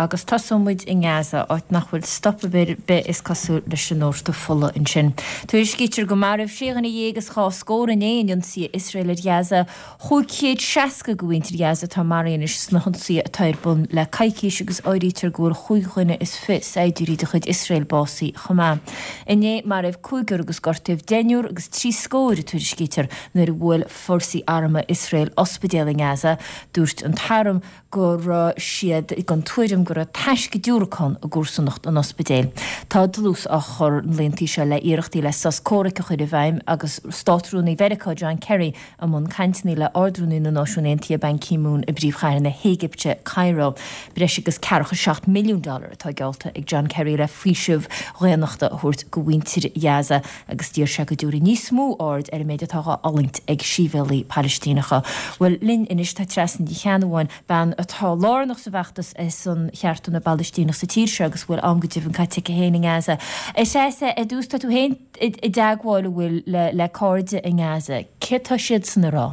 Agus tosóidh muid i nGaza, áit nach bhfuil stop ar bith is cosúil leis an ndóirteadh fola ansin. Tuairiscítear gur maraíodh sé dhuine dhéag is dhá scór inné in ionsaithe Iosrael ar Ghaza. 560 de mhuintir Ghaza atá maraithe anois sna hionsaithe atá ar bun le coicís agus áirítear go bhfuil chúig dhuine is fiche saighdiúirí de chuid Iosrael básaithe chomh maith. Inné maraíodh cúigear agus gortaíodh deichniúr agus trí scóir, a tuairiscítear, nuair a bhuail fórsaí armtha Iosrael ospidéal i nGaza. Dúirt an t-arm go raibh siad den tuairim go raibh taisce diúracán i gcomharsanacht an ospidéil. Tá dlús á chur na laethanta seo le hiarrachtaí le sos comhraic a chur i bhfeidhm agus Státrúnaí Mheiriceá John Kerry i mbun cainteanna le Ard-Rúnaí na Náisiún Aontaithe Ban Ki-moon i bpríomhchathair na hÉigipte, Cairo. Breis agus ceathracha 7 milliún dollar atá geallta ag John Kerry le faoiseamh dhaonnachta a thabhairt go mhuintir Ghaza. agus d'iarr sé go dtabharfaí níos mó aird ar an méid atá dhá fhulaingt ag sibhialaigh Palaistíneacha. Bhuel, linn anois tá Treasa Ní Cheannabháin, bean atá lárnach sa bhfeachtas ar son chearta na bPalaistíneach sa tír seo agus a bhfuil am go deimhin caite aici féin i nGaza. A Threasa, ar dtús, tá tú féin i dteagmháil, an bhfuil, le cairde i nGaza. Céard tá siadsan a rá?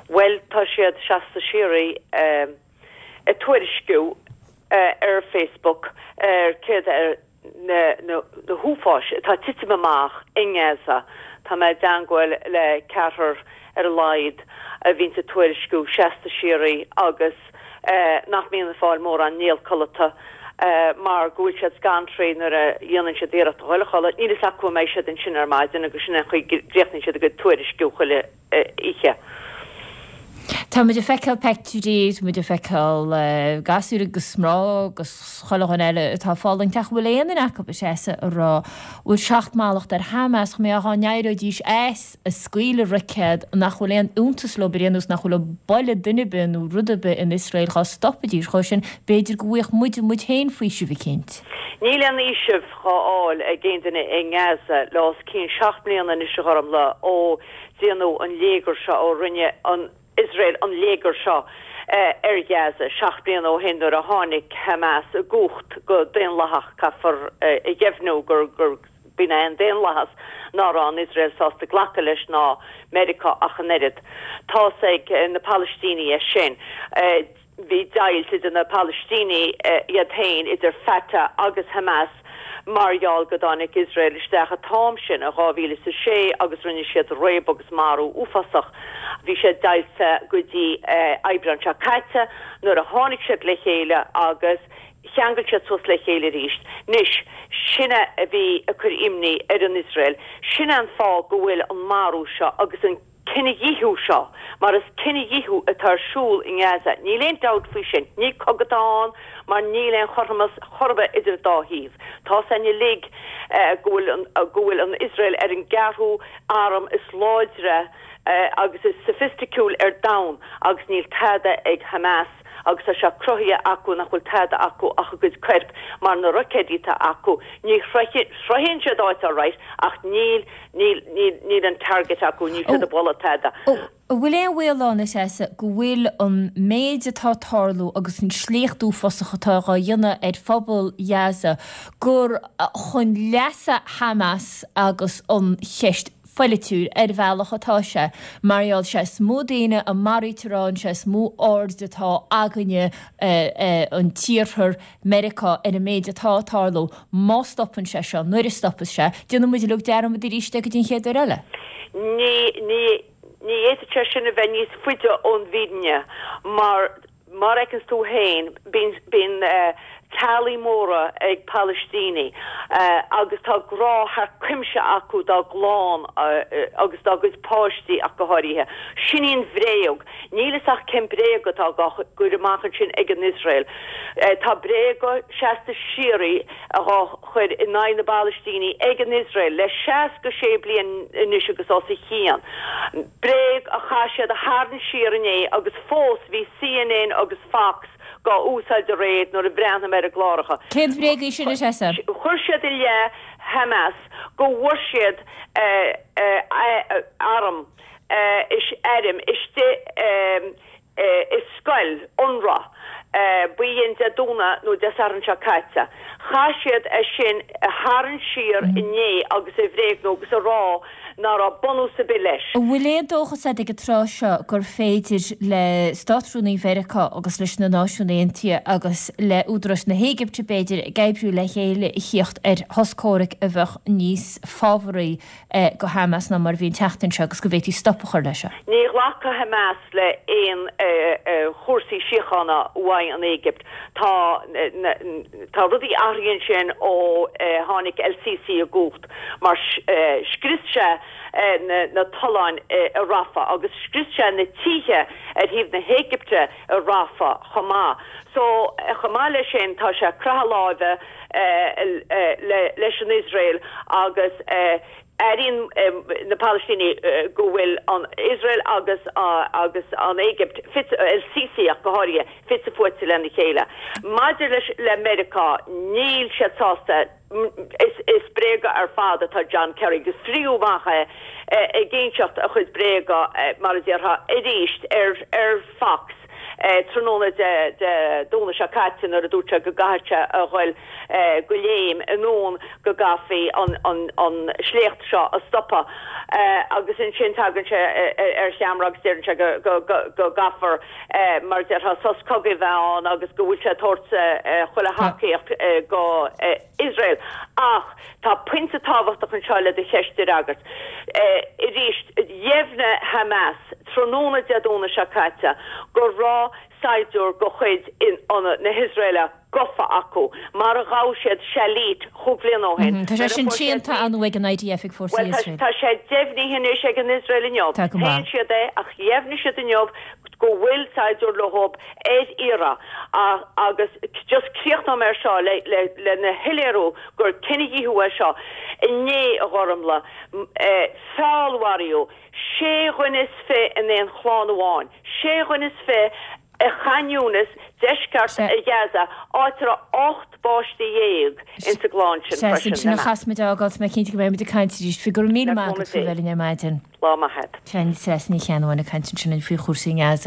Bhuel, tá siad seasta síoraí ag tuairisciú ar Facebook ar céard ar na huafáis atá ag titim amach i nGaza. Tá mé i dteangmháil le ceathrar ar a laghad a bhíonns ag tuairisciú seasta síoraí agus nach mbíonn ag fáil mórán néal codlata mar go bhfuil siad scanraithe nuair a dhéanann siad iarracht a dhul a chodladh. Níl fhios acu an mbeidh siad ansin ar maidin agus sin é an chaoi go gcríochnaíonn siad a gcuid tuairisciú chuile oíche. Tá muid ag feiceáil peictiúirí, tá muid ag feiceáil gasúir agus mná agus chuile dhuine eile atá ag fulaingt ach an bhfuil aon duine acu a Threasa a rá bhfuil seacht mallacht ar Hamas chomh maith dá n-éireoidís as ag scaoileadh roicéad nach bhfuil aon fhiúntas leo ar aon nós nach bhfuil ag bualadh duine ar bith nó rud ar bith in Iosrael dhá stopfaidís dhó sin b'fhéidir go bhfaigheadh muide muid féin faoiseamh eicínt. Níl aon fhaoiseamh dhá fháil ag aon duine i nGaza le os cionn 7 mbliana anois a Ghormfhlaith ó déanadh an léigear seo, ó rinne an Iosrael an léigear seo ar Ghaza 7 bliana ó shin nuair a tháinig Hamas i gcumhacht go daonlathach, caithfear a dheimhniú gur b'in é an daonlathas ná raibh an Iosrael sásta glacadh leis ná Meiriceá ach an oiread. Tá's ag na Palaistínigh é sin. Bhí deighilt idir na Palaistínigh iad féin, idir Fatah agus Hamas, mar gheall go dtáinig Iosrael isteach an t-am sin in 2006 agus rinne siad réabadh agus marú uafásach. Bhí siad deighilte go dtí Aibreán seo caite nuair a tháinig siad le chéile agus cheangail siad suas le chéile arís. Anois, sin é a bhí ag cur imní ar an Iosrael. Sin é an fáth go bhfuil an marú seo agus an. cinedhíothú seo, mar is cinedhíothú atá ar siúl i nGaza, níl aon dabht faoi sin. Ní cogadh atá ann mar níl aon chothromas chor ar bith idir an dá thaobh. Tá's againn uilig go bhfuil an go bhfuil an Iosrael ar an gceathrú arm is láidre agus is soifisticiúil ar domhan agus níl tada ag Hamas agus tá sé cruthaithe acu nach bhfuil tada acu ach a gcuid coirp mar na roicéidí atá acu ní shroicheann siad áit alright ach níl Níl, níl, níl an target acu, níl siad ag bualadh tada. An bhfuil aon bhaol ann, a Threasa, go bhfuil an méid atá ag tarlú agus an sléacht uafásach atá dhá dhéanamh ar phobal Ghaza gur chun leasa Hamas agus an cheist pholaitiúil ar bhealach atá sé mar gheall sé is mó daoine a maraítear ann, sé is mó aird atá againne, an tIarthar, Meiriceá ar an méid atá ag tarlú, má stopann sé seo, nuair a stopfas sé, déanfaidh muid uilig dearmad arís de go dtí an chéad uair eile. Ní, ní, ní fhéadfadh sé sin a bheith níos faide ón bhfírinne mar, mar a fheiceanns tú féin, bíonn, bíonn teaghlaigh móra ag Palaistínigh agus tá grá thar cuimse acu dá gclann agus dá gcuid páistí ach go háirithe. Sin í an bhréag. Níl fhios ach cén bréag atá dhá gcur amach ansin ag an Iosrael. Tá bréaga seasta síoraí dhá chur in aghaidh na bPalaistínigh ag an Iosrael le 66 bliain anois agus os a chionn. Bréag a chaith siad a tharraingt siar inné agus fós bhí CNN agus Fox dhá úsáid aréir nuair a bhreathnaigh mé ar a gcláracha. Cén bhréag í sin, a Threasa? Chuir siad i leith Hamas go bhfuair siad arm. is airm istigh i scoil Unrwa. B'in Dé Domhnaigh nó Dé Sathairn seo caite. Chaith siad é sin a tharraingt siar inné agus a bhréagnú agus a rá ná raibh bunús ar bith leis. An bhfuil aon dóchas agat ag an tráth seo gur féidir le Státrúnaí Mheiriceá agus leis na Náisiúin Aontaithe agus le údaráis na hÉigipte, b'fhéidir, ag oibriú le chéile a thíocht ar shos comhraic a bheadh níos fábharaí go Hamas ná mar a bhí an tseachtain seo agus go bhféadfaí stop a chur leis seo. Ní ghlacfaidh Hamas le aon chúrsaí síochána uaidh an Éigipt. Tá tá rudaí athraithe ansin ó tháinig El Sisi i gcumhacht mar scrios sé na tolláin i Rafah agus scrios sé na tithe ar thaobh na hÉigipte i Rafah chomh maith. So chomh maith leis sin tá sé ag croitheadh láimhe leis an Iosrael agus airíonn na Palaistínigh go bhfuil an Iosrael agus agus an Éigipt, El Sisi ach go háirithe, fite fuaite lena chéile. Maidir leis le Meiriceá, níl siad sásta, is bréaga ar fad atá John Kerry agus fríothadh amach é ag inseacht a chuid bréaga mar a déarfá arís ar ar Fox. Tráthnóna Dé Domhnaigh seo caite nuair a dúirt sé go gcaithfidh sé a ghoil go léim anonn go gcaithfí an sléacht seo a stopadh agus ansin tagann sé ar cheamara agus deireann sé go gcaithfear mar a déarfá sos cogaidh a bheith ann agus go bhfuil sé ag tabhairt chuile thacaíocht go Iosrael. Ach tá pointe tábhachtach anseo le do cheist a fhreagairt. Arís, dheimhnigh Hamas tráthnóna Dé Domhnaigh seo caite go raibh saighdiúir de chuid na hIosraeile gafa acu, mar a ghabh siad Shalit chúig bhliana ó shin. Tá sé sin séanta ar ndóigh ag an IDF ag fórsaí Iosrael. Bhuel, tá sé deimhnithe anois ag an Iosrael inniu. Shéan siad é ach dheimhnigh siad inniu go bhfuil saighdiúir leo ar iarraidh agus just críochnóidh mé ar seo lena shoiléiriú gur cinedhíothú é seo. Inné, a Ghormlaith, feallmharaíodh sé dhuine is fi in aon chlann amháin, sé dhuine is fi i Khan Younis, deisceart Ghaza, áit a raibh 18 bpáiste insa gclann sin freisin. Sea, sin a chas muid a fhágáil, tá mé cinnte go mbeidh muid ag caint arís faoi. Go raibh míle maith agat faoi bheith linn ar maidin. Lá maith agat. Treasa Ní Cheannabháin ag caint ansin faoi chúrsaí i nGaza.